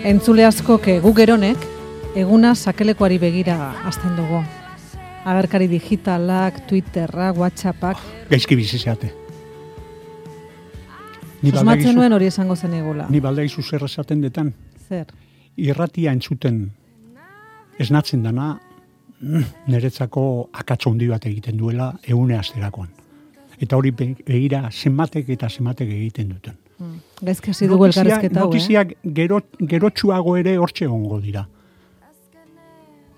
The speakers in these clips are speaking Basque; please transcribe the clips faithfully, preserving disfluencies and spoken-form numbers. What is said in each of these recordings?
Entzule askok gu geronek eguna sakelekoari begira hasten dugu. Agerkari digitalak, Twitterrak, WhatsAppak. Gaizki bizi zeate. Susmatzen nuen hori esango zen egula. Ni baldaizu zer esaten detan. Zer? Irratia entzuten esnatzen dana niretzako akatso handi bat egiten duela egune asterakoan. Eta hori begira zenbatek eta zenbatek egiten duten. Hmm. Gaizki hasi dugu elkarrizketa hau, eh? Notiziak gero, gerotsuago ere hortxe egongo dira.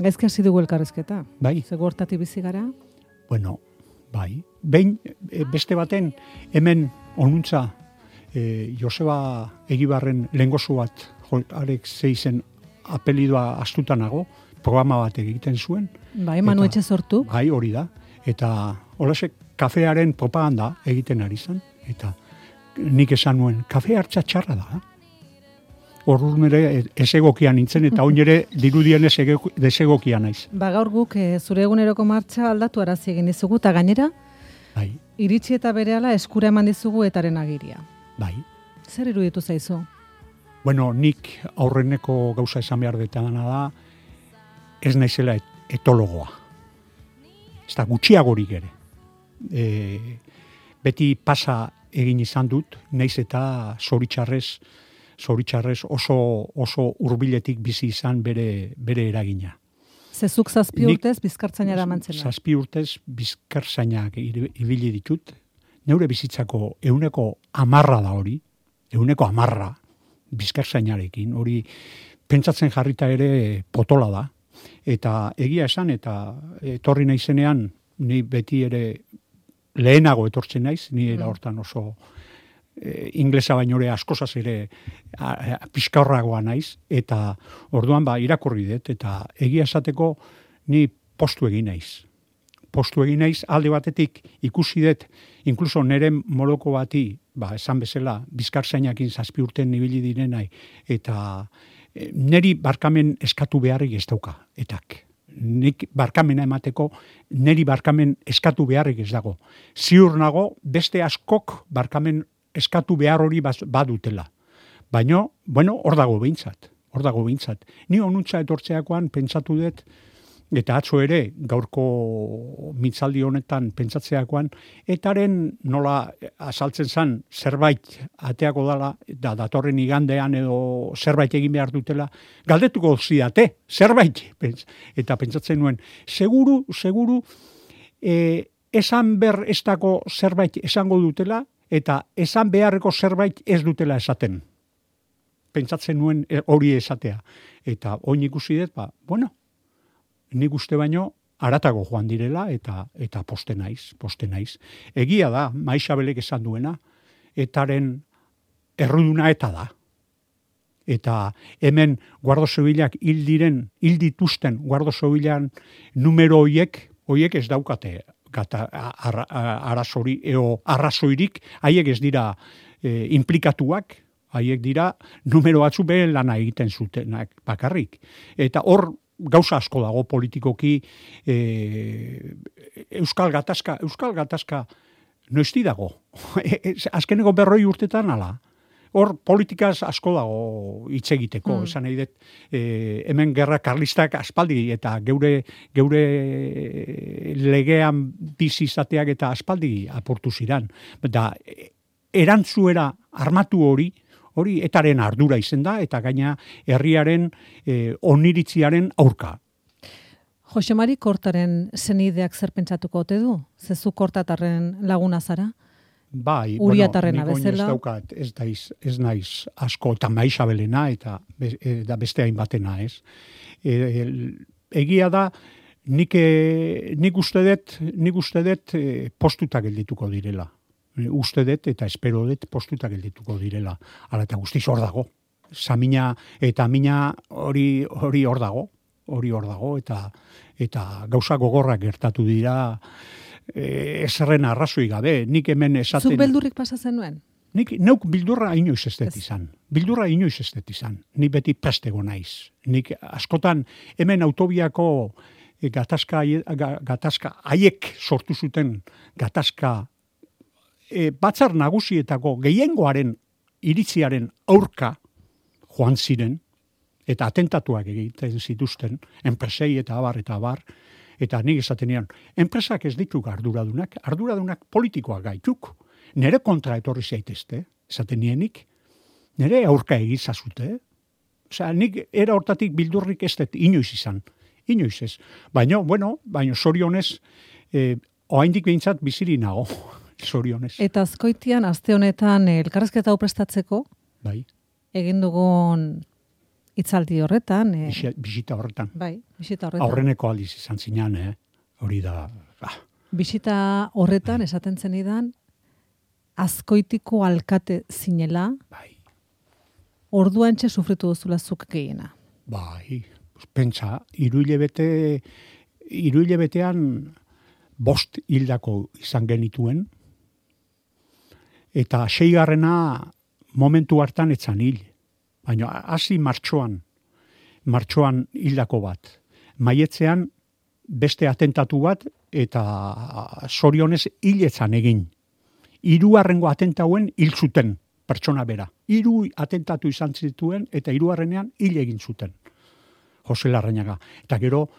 Gaizki hasi dugu elkarrizketa. Bai. Zego hortatik bizi gara? Bueno, bai. Behin beste baten hemen onuntza e, Joseba Egibarren lengozu bat arek zeizen apelidua astutanago, programa bat egiten zuen. Bai, Manu Etxe sortu. Bai, hori da. Eta holasek kafearen propaganda egiten ari zen. Eta nik esan nuen, kafe hartza txarra da. Horruz nire esegokia nintzen, eta oin ere dirudien esegokia naiz. Ba, gaur guk e, zure eguneroko martxa aldatu arazi egin dizugu, eta gainera, bai. Iritsi eta berehala eskura eman dizugu etaren agiria. Bai. Zer iruditu zaizu? Bueno, nik aurreneko gauza esan behar detana da, ez naizela et, etologoa. Ez da gutxiagorik ere. E, beti pasa egin izan dut, naiz eta zoritxarrez, zoritxarrez oso, oso hurbiletik bizi izan bere, bere eragina. Zezuk zazpi urtez bizkartzainara mantzena. Zazpi urtez bizkartzainak ibili ditut, neure bizitzako euneko amarra da hori, euneko amarra bizkartzainarekin, hori pentsatzen jarrita ere potola da, eta egia esan, eta etorri naizenean, ni beti ere lehenago etortzen naiz, ni era hortan oso e, inglesa baino ere askozaz ere pixkaurragoa naiz, eta orduan ba irakurri dut, eta egia esateko ni postu egin naiz. Postu egin naiz, alde batetik ikusi dut, inkluso nire moloko bati, ba, esan bezala, bizkartzainakin zazpi urten ibili direnai, eta e, neri barkamen eskatu beharrik ez dauka, etak. Nik barkamena emateko, neri barkamen eskatu beharrik ez dago. Ziur nago, beste askok barkamen eskatu behar hori badutela. Baina, bueno, hor dago behintzat. Hor dago behintzat. Ni onuntza etortzeakoan pentsatu dut, eta atzo ere, gaurko mitzaldi honetan pentsatzeakoan, etaren nola azaltzen zan zerbait ateako dala, da datorren igandean edo zerbait egin behar dutela, galdetuko zidate, zerbait. Eta pentsatzen nuen, seguru, seguru, e, esan ber ez dako zerbait esango dutela, eta esan beharreko zerbait ez dutela esaten. Pentsatzen nuen hori esatea. Eta oin ikusi dut, ba, bueno, nik uste baino haratago joan direla eta eta poste naiz, poste naiz. Egia da, Maixabelek esan duena, etaren erruduna eta da. Eta hemen Guardo Zibilak hil diren, hil dituzten Guardo Zibilan numero hoiek, hoiek ez daukate gata ar, arazori eo arrazoirik, haiek ez dira e, implikatuak, haiek dira numero batzu behen lana egiten zutenak bakarrik. Eta hor gauza asko dago politikoki e, Euskal Gatazka, Euskal Gatazka noizti dago. Azkeneko berroi urtetan ala. Hor politikaz asko dago hitz egiteko, mm. esan nahi dut, e, hemen gerra karlistak aspaldi eta geure geure legean bizi izateak eta aspaldi aportu ziran. Da, erantzuera armatu hori, hori etaren ardura izen da, eta gaina herriaren e, oniritziaren aurka. Jose Mari Kortaren senideak zer pentsatuko ote du? Zezu Kortatarren laguna zara? Bai, Uriatarrena bueno, bezala. Ez daukat, ez naiz, ez naiz asko, eta Maixabelena, eta e, da beste hainbatena, ez. E, e, egia da, nik, e, nik uste dut, nik uste dut e, postuta geldituko direla. Uste dut eta espero dut postuta geldituko direla. Hala eta guztiz hor dago. Samina eta mina hori hori hor dago, hori hor dago eta eta gauza gogorrak gertatu dira e, ezerren arrazoi gabe. Nik hemen esaten... Zuk beldurrik pasa zenuen? Nik neuk bildurra inoiz ez dut izan. Bildurra inoiz ez dut izan. Ni beti prestego naiz. Nik askotan hemen autobiako gatazka gatazka haiek sortu zuten gatazka E, batzar nagusietako gehiengoaren iritziaren aurka joan ziren, eta atentatuak egiten zituzten, enpresei eta abar eta abar, eta nik esaten nian, enpresak ez dituk arduradunak, arduradunak politikoak gaituk, nire kontra etorri zaitezte, esaten nienik, nire aurka egizazute, osea, nik era hortatik bildurrik ez dut inoiz izan, inoiz ez. Baina, bueno, baina zorionez, eh, oaindik behintzat biziri nago, zorionez. Eta azkoitian, aste honetan, elkarrezketa hau prestatzeko, Bai. egin dugun hitzaldi horretan. E... Bisita horretan. Bai, bisita horretan. Aurreneko aldiz izan zinean, eh? Hori da. Ah. Bisita horretan, bai. Esaten zenidan, Azkoitiko alkate zinela, bai. Orduantxe sufritu duzula zuk gehiena. Bai, pentsa, iruilebete, iruilebetean bost hildako izan genituen, eta seigarrena momentu hartan etzan hil. Baina hasi martxoan, martxoan hildako bat. Maietzean beste atentatu bat, eta zorionez hiletzan egin. Hirugarrengo atentauen hil zuten pertsona bera. Hiru atentatu izan zituen, eta hirugarrenean hil egin zuten. Jose Larrañaga. Eta gero,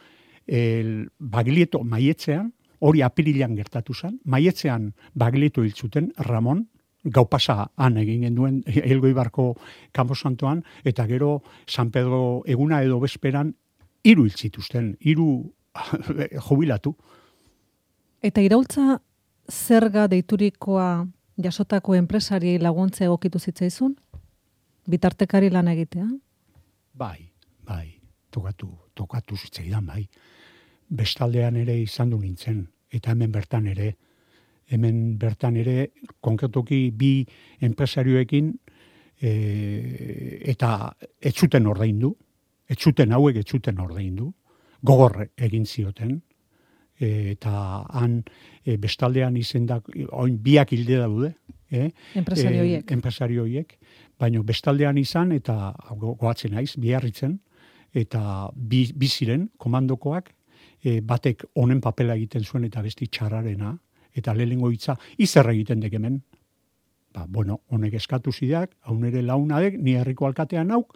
el, Baglietto maietzean, hori apirilean gertatu zen, maietzean Baglietto hil zuten, Ramon, gau pasa han egin genduen Elgoibarko Kanposantoan, eta gero San Pedro eguna edo bezperan hiru hil zituzten, hiru jubilatu. Eta iraultza zerga deiturikoa jasotako enpresari laguntza egokitu zitzaizun? Bitartekari lan egitea? Bai, bai, tokatu, tokatu zitzaidan, bai. Bestaldean ere izan du nintzen, eta hemen bertan ere, hemen bertan ere, konkretoki bi enpresarioekin, e, eta etzuten ordaindu, etzuten hauek etzuten ordaindu, gogor egin zioten, e, eta han e, bestaldean izendak, oin biak hilde daude, eh? Enpresarioiek. E, enpresarioiek, baina bestaldean izan, eta go, goatzen naiz, biarritzen, eta bi, bi ziren, komandokoak, e, batek honen papela egiten zuen eta besti txarrarena, eta lehengo hitza, izer egiten dek hemen. Ba, bueno, honek eskatu zidak, hau nire launadek, ni herriko alkatean hauk,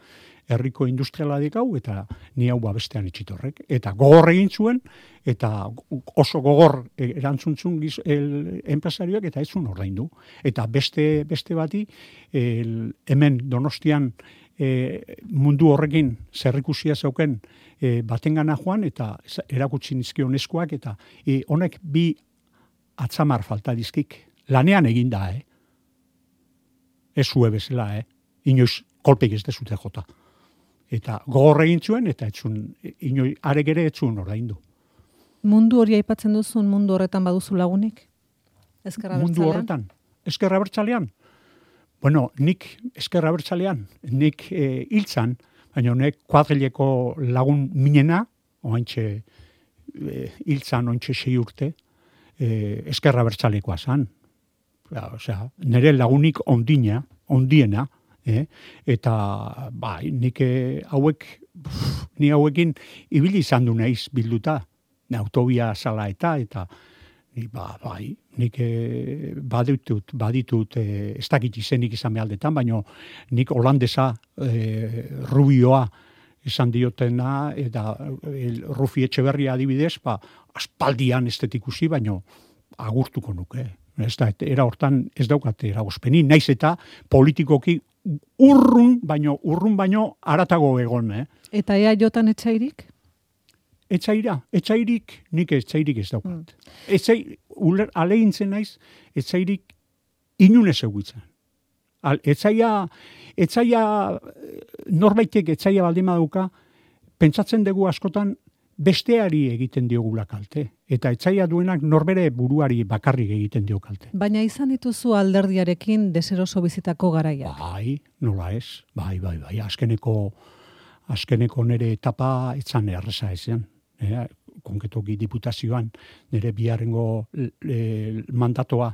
herriko industrialadek hau, eta ni hau bestean itxitorrek. Eta gogor egin zuen, eta oso gogor erantzuntzun giz, el, enpresarioak, eta ez zuen ordaindu. Eta beste, beste bati, el, hemen Donostian, E, mundu horrekin zerrikusia zeuken e, batengana joan eta erakutsi nizkion eskuak eta e, honek bi atzamar falta dizkik. Lanean egin da, eh? Ez zue bezala, eh? Inoiz kolpeik ez dezute jota. Eta gogor egin zuen eta etzun, inoi arek ere etzun ordaindu. Mundu hori aipatzen duzun mundu horretan baduzu lagunik? Ezkerra mundu bertzalean? Horretan? Ezkerra bertzalean? Bueno, nik ezkerra bertzalean, nik e, hiltzan, baina honek kuadrileko lagun minena, oantxe e, hiltzan, oantxe sei urte, e, ezkerra bertzalekoa zan. Ja, osea, nire lagunik ondina, ondiena, eh? Eta bai, nik e, hauek, pff, ni hauekin ibili izan du naiz bilduta, autobia sala eta, eta Ni, ba, bai, nik e, baditut, baditut, e, ez dakit izenik izan behaldetan, baina nik holandesa e, rubioa esan diotena, eta e, Rufi Etxeberria adibidez, ba, aspaldian estetikusi, baina agurtuko nuke. Ez da, era hortan ez daukate eragozpeni, naiz eta politikoki urrun, baino, urrun baino aratago egon, eh? Eta ea jotan etxairik? Etxaira, etxairik, nik etxairik ez daukat. Mm. Etxai, uler, alegintzen naiz, etxairik inunez eguitzen. Etxaia, etxaia, norbaitek etxaia baldima dauka, pentsatzen dugu askotan besteari egiten diogula kalte. Eta etxaia duenak norbere buruari bakarrik egiten dio kalte. Baina izan dituzu alderdiarekin deseroso bizitako garaia. Bai, nola ez, bai, bai, bai, azkeneko, azkeneko nire etapa etzan erreza ezean. Eh, konkretoki diputazioan nire biharrengo e, mandatoa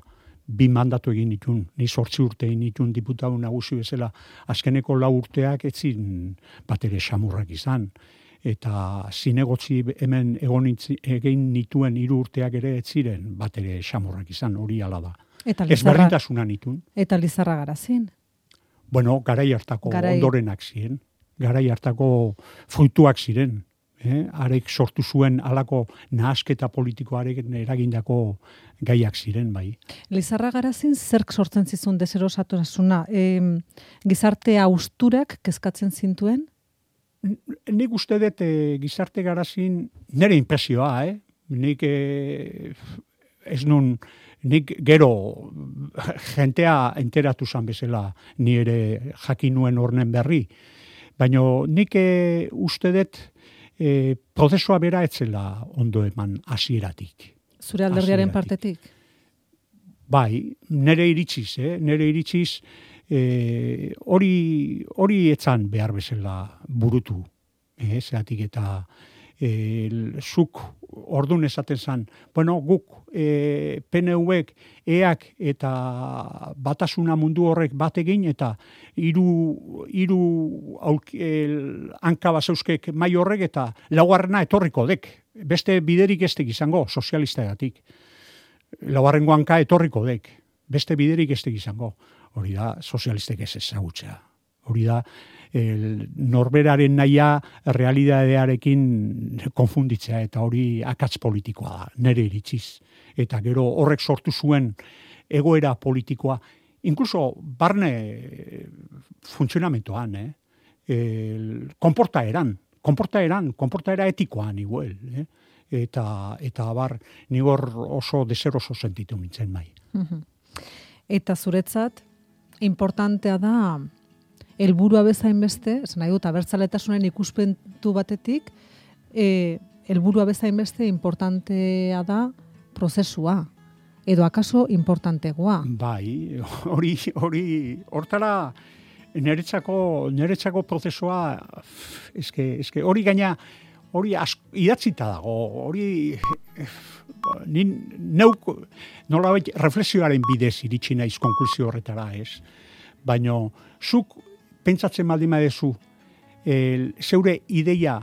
bi mandatu egin ditun, ni zortzi urte egin ditun diputatu nagusi bezala, azkeneko lau urteak etzin bat ere xamurrak izan, eta zinegotzi hemen egon egin nituen hiru urteak ere etziren bat ere xamurrak izan, hori ala da. Ez berdintasuna nitun. Eta Lizarra Garazin? Bueno, garai hartako garai. Ondorenak ziren. garai hartako fruituak ziren. Eh? Arek sortu zuen halako nahasketa politikoarekin eragindako gaiak ziren, bai. Lizarra Garazin zerk sortzen zizun deserosatasuna? E, gizarte austurak kezkatzen zintuen? Nik uste dut e, gizarte Garazin nire impresioa, eh? Nik e, ez nun, nik gero jentea enteratu zan bezala nire jakin nuen hornen berri. Baina nik e, uste dut E, prozesua bera etzela ondo eman hasieratik. Zure alderdiaren partetik? Bai, nire iritsiz, eh? nire iritsiz e, hori, hori etzan behar bezala burutu. Eh? Zeratik eta e, zuk ordun esaten zan, bueno, guk e, P N U-ek, eak eta batasuna mundu horrek bategin eta hiru hiru hanka baseuskek mai horrek eta laugarrena etorriko dek. Beste biderik ez dek izango, sozialistagatik. Laugarrengo hanka etorriko dek. Beste biderik ez dek izango. Hori da, sozialistek ez ezagutzea. Hori da, el, norberaren nahia realidadearekin konfunditzea eta hori akats politikoa da, nire iritziz. Eta gero horrek sortu zuen egoera politikoa, inkluso barne funtzionamentoan, eh? El, konportaeran, konportaeran, konportaera etikoan igual, eh? Eta, eta bar, nigor oso deseroso sentitu nintzen bai. Eta zuretzat, importantea da, helburua bezain beste, esan nahi dut, abertzaletasunen ikuspentu batetik, e, helburua bezain beste importantea da prozesua, edo akaso importantegoa. Bai, hori, hori, hortara, niretzako, niretzako prozesua, eske, eske, hori gaina, hori idatzita dago, hori, nin, neuk, nolabait, reflexioaren bidez iritsi naiz konklusio horretara, ez? Baina, zuk, pentsatzen baldin badezu, e, zeure ideia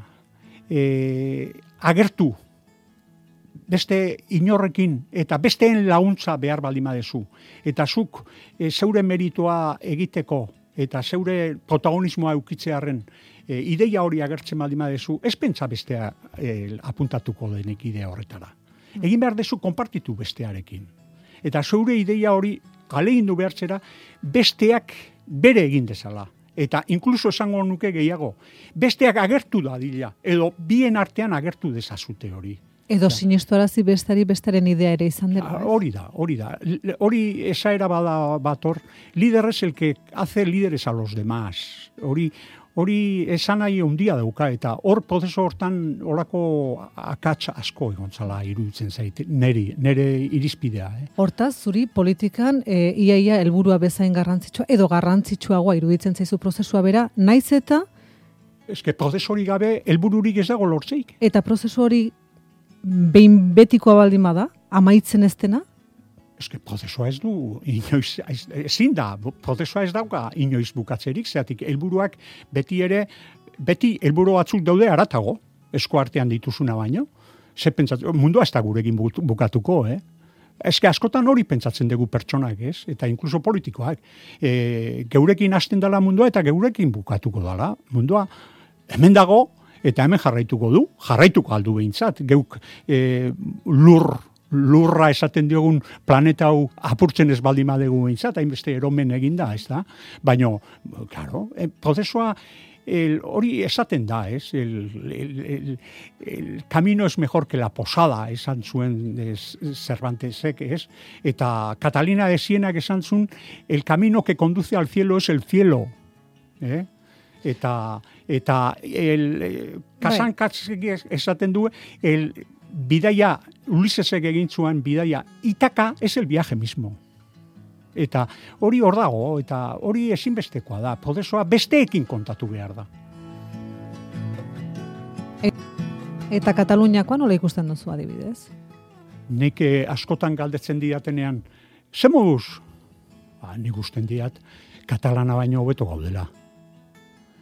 e, agertu beste inorrekin eta besteen laguntza behar baldin badezu. Eta zuk e, zeure meritoa egiteko eta zeure protagonismoa eukitzearen e, ideia hori agertzen baldin badezu, ez pentsa bestea e, apuntatuko denek idea horretara. Egin behar dezu konpartitu bestearekin. Eta zeure ideia hori kalegindu behartzera besteak bere egin dezala. Eta inkluso esango nuke gehiago, besteak agertu da dila, edo bien artean agertu dezazute hori. Edo ja. Sinestuarazi bestari bestaren idea ere izan dela. Hori da, hori da. Hori esaera bada bator, líder es el que hace líderes a los demás. Hori, hori esan nahi ondia dauka, eta hor prozeso hortan horako akats asko egontzala iruditzen zait, neri, nere irizpidea. Eh? Hortaz, zuri politikan e, iaia helburua bezain garrantzitsua, edo garrantzitsuagoa iruditzen zaizu prozesua bera, naiz eta... Eske prozesu hori gabe helbururik ez dago lortzeik. Eta prozesu hori behin betikoa baldin bada, amaitzen ez dena? Eske prozesua ez du, inoiz, ezin da, prozesua ez dauka inoiz bukatzerik, zeatik helburuak beti ere, beti helburu batzuk daude aratago, esku artean dituzuna baino, ze pentsatzen, mundua ez da gurekin bukatuko, eh? Eske askotan hori pentsatzen dugu pertsonak, ez? Eta inkluso politikoak. E, geurekin hasten dela mundua eta geurekin bukatuko dela. Mundua hemen dago eta hemen jarraituko du, jarraituko aldu behintzat. Geuk e, lur, lurra esaten diogun planeta hau apurtzen ez baldin badegu behintzat, hainbeste eromen eginda, ez da? Baina, claro, e, prozesua El, hori esaten da, ez? El, el, el, el camino es mejor que la posada, esan zuen Cervantesek, ez? Eta Catalina de Sienak esan zuen, el camino que conduce al cielo es el cielo. Eh? Eta, eta el, Kasankatzek esaten du, el bidaia, Ulisesek egin zuen bidaia, Itaka es el viaje mismo. Eta hori hor dago, eta hori ezinbestekoa da, prozesua besteekin kontatu behar da. Eta Kataluniakoa nola ikusten duzu adibidez? Nik askotan galdetzen diatenean, ze moduz? Ba, nik usten diat, katalana baino hobeto gaudela.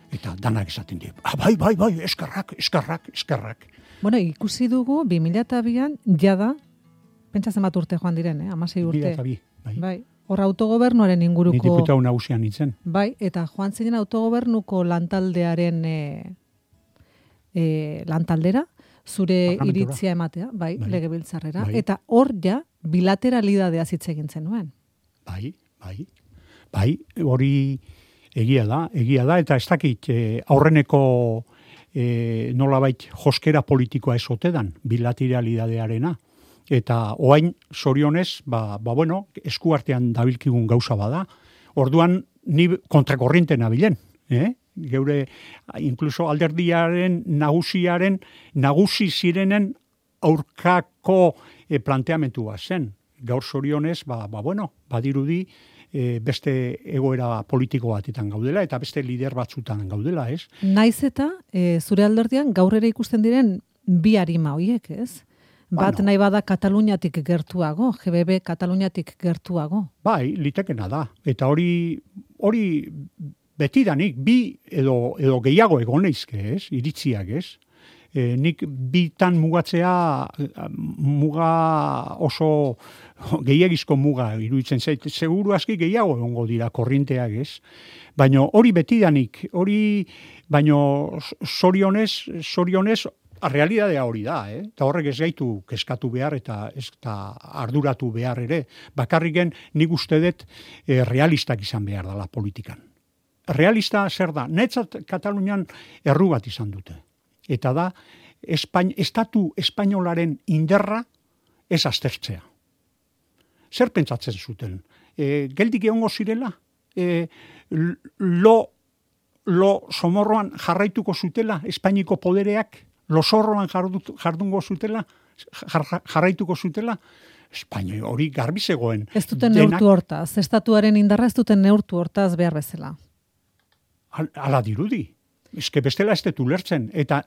Eta danak esaten diat, ah, bai, bai, bai, eskerrak, eskerrak, eskerrak. Bueno, ikusi dugu, bi mila bian, jada, pentsatzen bat urte joan diren, eh? Amasei urte. Bi, bai. Bai. Hor autogobernuaren inguruko... Ni diputatu nagusian nintzen. Bai, eta joan zinen autogobernuko lantaldearen e, e, lantaldera, zure iritzia ematea, bai, bai. Legebiltzarrera, bai. Eta hor ja bilateralidadea hitz egin zenuen. Bai, bai. Bai, hori egia da, egia da, eta ez dakit eh, aurreneko eh, nolabait joskera politikoa esotedan, bilateralidadearena. Eta oain zorionez, ba, ba bueno, eskuartean dabilkigun gauza bada, orduan ni kontrakorriente nabilen, eh? Geure, incluso alderdiaren, nagusiaren, nagusi zirenen aurkako e, planteamentua zen. Gaur zorionez, ba, ba bueno, badirudi e, beste egoera politiko batetan gaudela, eta beste lider batzutan gaudela, ez? Naiz eta, e, zure alderdian, gaur ere ikusten diren bi arima hoiek, ez? Bat bueno, nahi bada Kataluniatik gertuago, G B B Kataluniatik gertuago. Bai, litekena da. Eta hori hori betidanik bi edo edo gehiago egoneizke, ez? Iritziak, ez? E, nik bitan mugatzea muga oso gehiagizko muga iruditzen zait. Seguru aski gehiago egongo dira korrinteak, ez? Baino hori betidanik, hori baino zorionez, zorionez realidadea hori da, eh? Eta horrek ez gaitu keskatu behar eta ez da arduratu behar ere. Bakarriken nik uste dut eh, realistak izan behar dela politikan. Realista zer da? Netzat Katalunian erru bat izan dute. Eta da, Espain, estatu espainolaren inderra ez aztertzea. Zer pentsatzen zuten? E, geldik egongo zirela? E, lo, lo somorroan jarraituko zutela Espainiko podereak? Losorroan jardungo zutela, jarraituko zutela, Espainia hori garbi zegoen. Ez duten neurtu hortaz, estatuaren indarra ez duten neurtu hortaz behar bezala. Ala dirudi, eske bestela ez detu lertzen, eta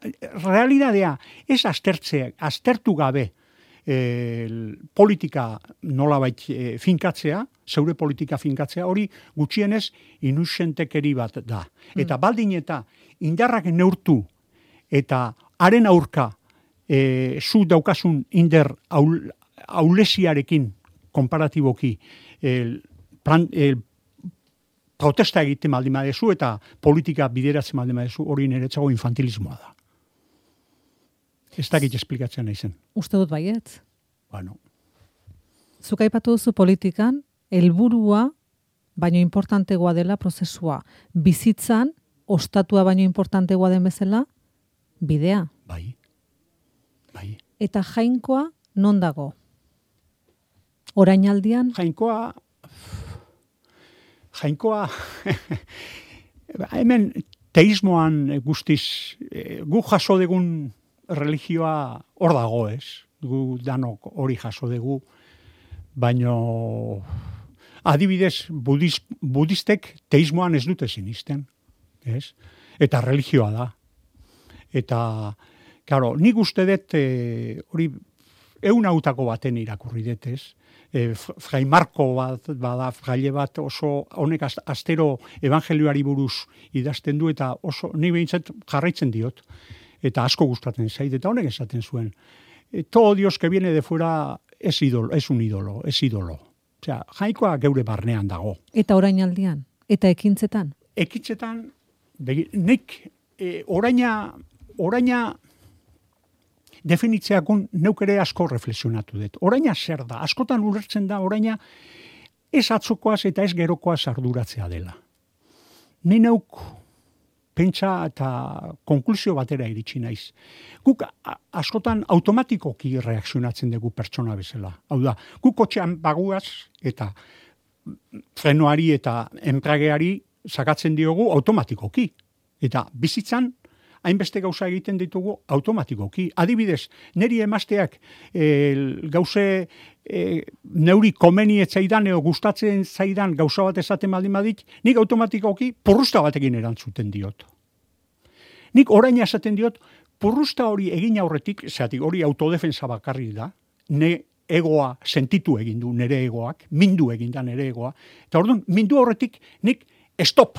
realidadea ez aztertzea, aztertu gabe e, politika nolabait e, finkatzea, zeure politika finkatzea, hori gutxienez inusentekeri bat da. Eta mm. baldin eta indarrak neurtu, eta haren aurka e, zu daukasun inder aul, aulesiarekin konparatiboki e, plan, e, protesta egiten baldin badezu eta politika bideratzen baldin badezu hori niretzago infantilismoa da. Ez dakit esplikatzen naizen. Uste dut baietz. Bueno. Zuk aipatu duzu politikan, helburua baino importantegoa dela prozesua. Bizitzan, ostatua baino importantegoa den bezala, bidea. Bai. Bai. Eta Jainkoa non dago? Orainaldian? Jainkoa Jainkoa hemen teismoan guztiz gu jaso degun religioa hor dago, ez? Gu danok hori jaso dugu, baino adibidez budiz, budistek teismoan ez dute sinisten, ez? Eta religioa da. Eta, claro, nik uste dut e, hori eun hautako baten irakurri dut, ez? E, Frai Marko bat, bada, fraile bat oso, honek astero evangelioari buruz idazten du, eta oso, nik behintzat jarraitzen diot, eta asko gustatzen zait, eta honek esaten zuen. E, todo Dios que viene de fuera es ídolo, es un ídolo, es ídolo. Osea, Jainkoa geure barnean dago. Eta orainaldian? Eta ekintzetan? Ekintzetan, nik e, oraina Oraina definitzeakun neuk ere asko reflexionatu dut. Oraina zer da? Askotan ulertzen da oraina ez atzokoaz eta ez gerokoaz arduratzea dela. Ni neuk pentsa eta konklusio batera iritsi naiz. Guk askotan automatikoki reakzionatzen dugu pertsona bezala. Hau da, guk kotxean baguaz eta frenoari eta enprageari sakatzen diogu automatikoki. Eta bizitzan hainbeste gauza egiten ditugu automatikoki. Adibidez, neri emazteak e, gauze e, neuri komeni etzaidan edo gustatzen zaidan gauza bat esaten baldin badit, nik automatikoki purrusta batekin erantzuten diot. Nik orain esaten diot, purrusta hori egin aurretik, zeatik hori autodefensa bakarri da, ne egoa sentitu egin du nere egoak, mindu egin da nere egoa, eta orduan, mindu aurretik nik stop.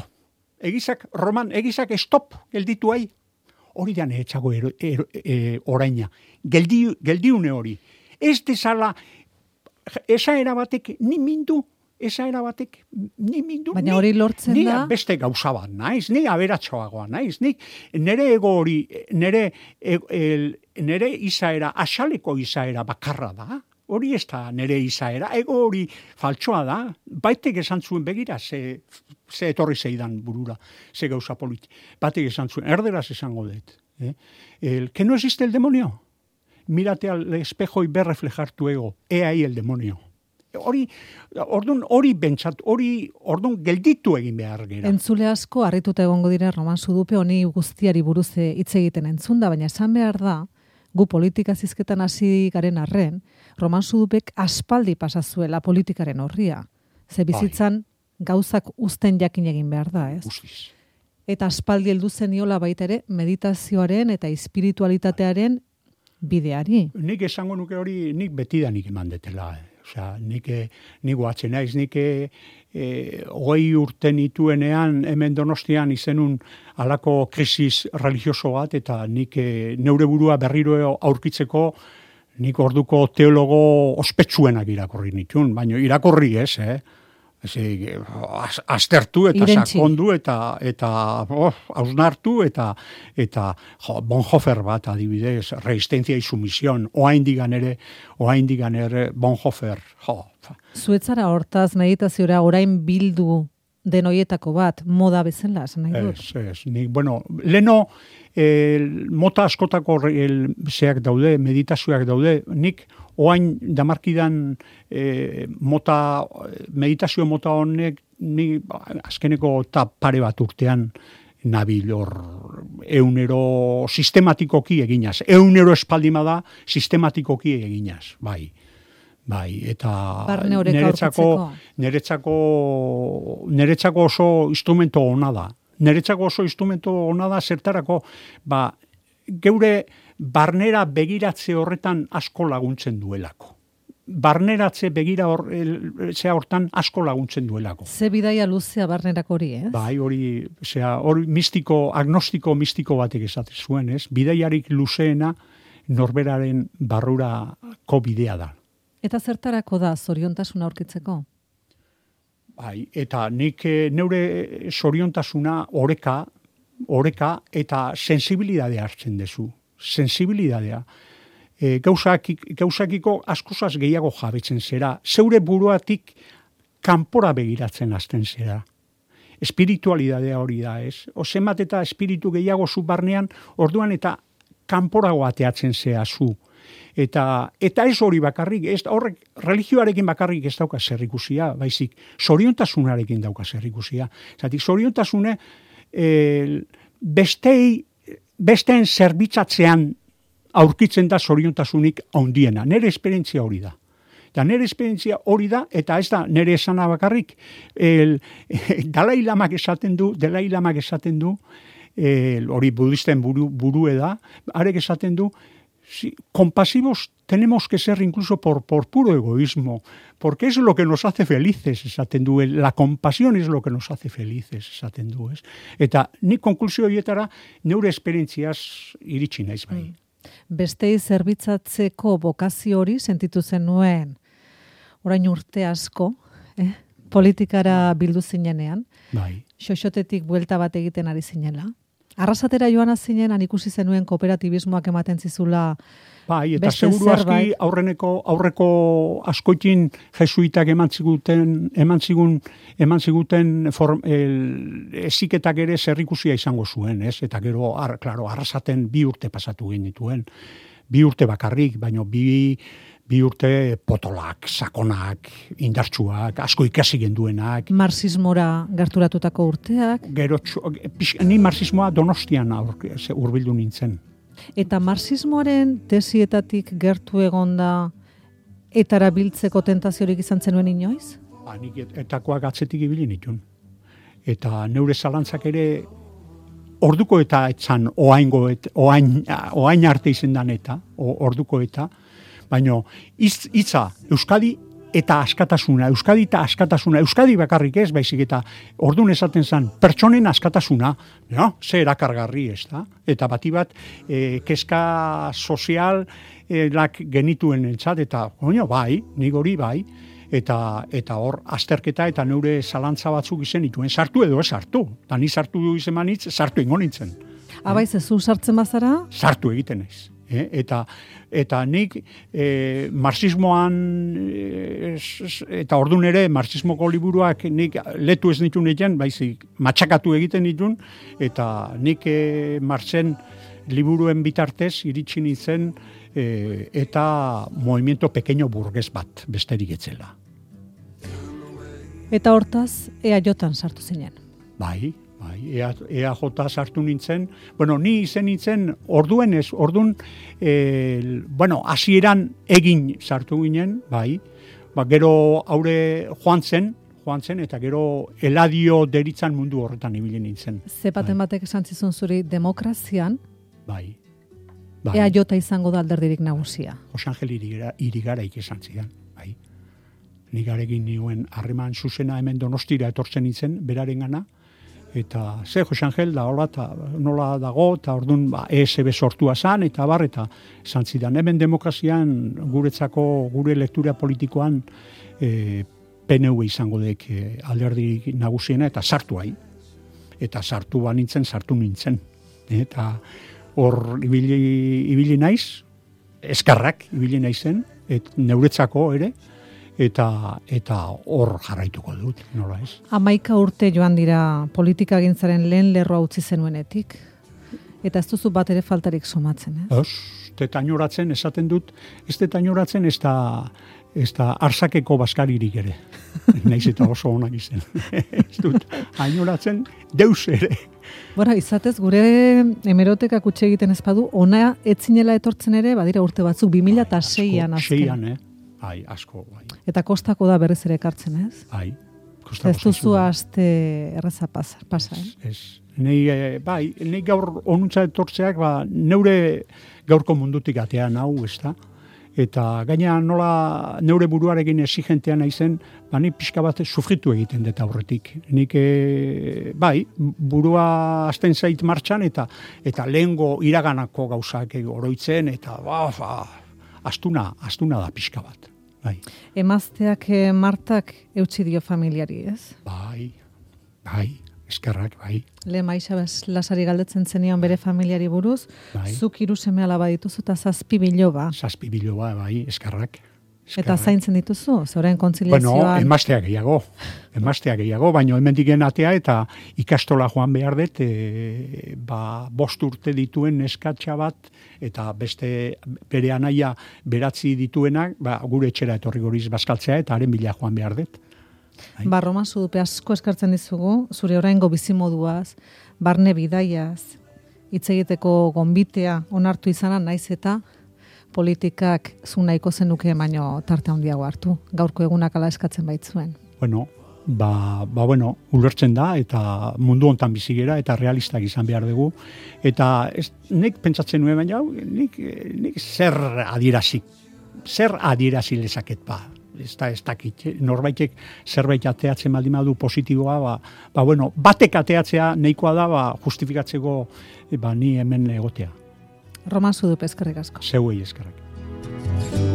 Egizak, Roman, egizak stop gelditu ai. Hori da nehetxago e, oraina. Geldi, geldiune hori. Ez dezala, esa erabatek ni mindu esaera batek, ni mindu, baina hori lortzen ni, da, ni beste gauza bat naiz, ni aberatxoagoa naiz, ni nere ego hori, nere, el, nere izaera, asaleko izaera bakarra da, hori ez da nere izaera, ego hori faltsoa da, baitek esan zuen begira, ze, ze etorri zeidan burura, ze gauza politi, batek esan zuen, erderaz esango dut, eh? el, que no existe el demonio, mírate al espejo y ve reflejar tu ego, he ahí el demonio. Hori, ordun hori bentsat, hori ordun gelditu egin behar gera. Entzule asko harrituta egongo dira Roman Sudupe honi guztiari buruz hitz egiten entzunda, baina esan behar da, gu politika zizketan hasi garen arren, Roman Sudupek aspaldi pasazuela politikaren horria. Ze bizitzan gauzak uzten jakin egin behar da, ez? Guztiz. Eta aspaldi heldu zeniola baita ere meditazioaren eta espiritualitatearen bideari. Nik esango nuke hori, nik betidanik eman detela. Eh. Osea, nik, nik guatzen naiz, nik e, hogei urte nituenean hemen Donostian izenun halako krisis religioso bat, eta nik e, neure burua berriro aurkitzeko nik orduko teologo ospetsuenak irakorri nituen, baina irakorri ez, eh? Ezi, aztertu eta Irentzi. Sakondu eta eta oh, hausnartu eta eta jo, Bonhoeffer bat adibidez, resistencia y sumisión, oaindigan ere, oaindigan ere Bonhoeffer, jo. Zuetzara hortaz meditaziora orain bildu den hoietako bat, moda bezala, esan nahi dut. Ez, ez, ni, bueno, leno el, mota askotako el, zeak daude, meditazioak daude, nik oain damarkidan eh, mota, meditazio mota honek, ni azkeneko eta pare bat urtean nabil hor eunero sistematikoki eginaz. Eunero espaldima da sistematikoki eginaz, bai. Bai, eta neretzako, neretzako, neretzako oso instrumento ona da. Neretzako oso instrumento ona da zertarako, ba, geure barnera begiratze horretan asko laguntzen duelako. Barneratze begira hor, zea hortan asko laguntzen duelako. Ze bidaia luzea barnerako hori, ez? Bai, hori, zea, hori mistiko, agnostiko mistiko batek esate zuen, ez? Bidaiarik luzeena norberaren barrurako bidea da. Eta zertarako da zoriontasuna aurkitzeko? Bai, eta nik neure zoriontasuna oreka, oreka eta sensibilidadea hartzen dezu. Sensibilidadea. E, gauzak, gauzakiko askozaz gehiago jabetzen zera. Zeure buruatik kanpora begiratzen hasten zera. Espiritualidadea hori da, ez? Ozemat eta espiritu gehiago zu barnean, orduan eta kanporago ateatzen zera zu. Eta, eta ez hori bakarrik, ez, horrek religioarekin bakarrik ez dauka zerrikusia, baizik zoriontasunarekin dauka zerrikusia. Zatik, zoriontasune e, bestei, besteen zerbitzatzean aurkitzen da zoriontasunik handiena. Nere esperientzia hori da. Eta nere esperientzia hori da, eta ez da nere esana bakarrik, el, Dalai Lamak esaten du, Dalai Lamak esaten du, el, hori budisten buru, burue da, arek esaten du, sí, compasivos tenemos que ser incluso por, por puro egoísmo, porque es lo que nos hace felices, esaten du, la compasión es lo que nos hace felices, esaten du, ez? Eta nik konklusio horietara neure esperientziaz iritsi naiz bai. Bestei zerbitzatzeko bokazio hori sentitu zenuen orain urte asko, eh? Politikara bildu zinenean, bai. Xoxotetik buelta bat egiten ari zinela. Arrasatera joan zinen, ikusi zenuen kooperatibismoak ematen zizula. Bai, eta seguru aski aurreneko, aurreko askoitin jesuitak eman ziguten, eman zigun, eman ziguten form, el, eziketak ere zerrikusia izango zuen, ez? Eta gero, ar, klaro, arrasaten bi urte pasatu genituen. Bi urte bakarrik, baino bi, bi urte potolak, sakonak, indartsuak, asko ikasi genduenak. Marxismora gerturatutako urteak. Gero, ni marxismoa Donostian hurbildu nintzen. Eta marxismoaren tesietatik gertu egonda etara biltzeko tentaziorik izan zenuen inoiz? Ba, nik etakoak atzetik ibili nituen. Eta neure zalantzak ere orduko eta etzan oaingo et, oain, oain arte izendan eta, orduko eta, baina hitza Euskadi eta askatasuna, Euskadi eta askatasuna, Euskadi bakarrik ez, baizik eta ordun esaten zen, pertsonen askatasuna, ja, ze erakargarri ez da, eta bati bat e, keska sozial e, lak genituen entzat, eta oino, bai, nik hori bai, eta eta hor azterketa eta neure zalantza batzuk izen dituen sartu edo ez sartu. Ta ni sartu du izen manitz, sartu ingo nintzen. Abaiz, ez zu sartzen bazara? Sartu egiten naiz. Eh? Eta, eta nik eh, marxismoan eh, eta ordun ere marxismoko liburuak nik letu ez nitu niten, baizik matxakatu egiten ditun, eta nik eh, marxen liburuen bitartez iritsi nintzen eh, eta movimiento pequeño burgues bat besterik etzela. Eta hortaz, E A J-an sartu zinen? Bai, bai, E A J sartu nintzen, bueno, ni izen nintzen, orduen ez, ordun, e, bueno, hasieran egin sartu ginen, bai, ba, gero haure joan zen, joan zen, eta gero Eladio deritzan mundu horretan ibili nintzen. Zepaten bai. Batek esan zizun zuri demokrazian, bai, bai. E A J izango da alderdirik nagusia. Jose Angel Irigara, Irigaraik esan zidan, bai. Nigarekin nioen harreman zuzena hemen Donostira etortzen nintzen, beraren gana, eta ze Jose Angel da hola, eta nola dago, eta orduan ba, E S B sortua zan, eta bar, eta esan zidan, hemen demokrazian guretzako, gure lektura politikoan e, P N V izango dek e, alderdi nagusiena, eta sartu hai. Eta sartu ba nintzen, sartu nintzen. Eta hor ibili, ibili naiz, eskarrak ibili naizen, et neuretzako ere, eta eta hor jarraituko dut, nola ez? Hamaika urte joan dira politika gintzaren lehen lerroa utzi zenuenetik, eta ez duzu bat ere faltarik somatzen, ez? Ez, tetainoratzen esaten dut, ez tetainoratzen ez da, ez da arsakeko baskaririk ere. Naiz eta oso onak izen. Ez dut, ainoratzen deus ere. Bora, izatez, gure hemerotekak utxe egiten ezpadu, ona etzinela etortzen ere, badira urte batzuk, bi mila seian azken. Seian, eh? Ai, asko, bai. Eta kostako da berriz ere ekartzen, ez? Ai, kostako. Ez duzu aste erreza pasa, pasa eh? Ez, nei, bai, nei gaur onuntza etortzeak, ba, neure gaurko mundutik atean hau, ez da? Eta gaina nola neure buruarekin exigentea naizen, ba, ni pixka bat sufritu egiten dut aurretik. Nik, e, bai, burua azten zait martxan, eta eta lehengo iraganako gauzak oroitzen, eta ba, ba, astuna, astuna da pixka bat. Bai. Emazteak eh, Martak eutsi dio familiari, ez? Bai, bai, eskerrak, bai. Le Maixa Lasari galdetzen zenion bere familiari buruz, bai. Zuk hiru seme alaba dituzu eta zazpi biloba. Zazpi biloba, bai, eskerrak. Eta zaintzen dituzu, zoren kontziliazioan? Bueno, emaztea gehiago, emaztea gehiago, baina hemendiken atea eta ikastola joan behar dut, e, ba, bost urte dituen neskatxa bat, eta beste bere anaia beratzi dituenak, ba, gure etxera etorri goriz bazkaltzea, eta haren bila joan behar dut. Ba, Roman Zudupe asko eskartzen dizugu, zure oraingo bizimoduaz, barne bidaiaz, hitz egiteko gonbitea onartu izana naiz eta politikak zu nahiko zenuke baino tarte handiago hartu. Gaurko egunak ala eskatzen baitzuen. Bueno, ba, ba bueno, ulertzen da eta mundu hontan bizi gera eta realistak izan behar dugu. Eta ez, nik pentsatzen nuen baina nik, nik zer adierazi, zer adierazi lezaket ba. Ez da, ez dakit, norbaitek zerbait ateatzen baldin badu positiboa, ba, ba bueno, batek ateatzea nahikoa da, ba, justifikatzeko ba, ni hemen egotea. Roman Zudupe, eskerrik asko. Zeuei eskerrak.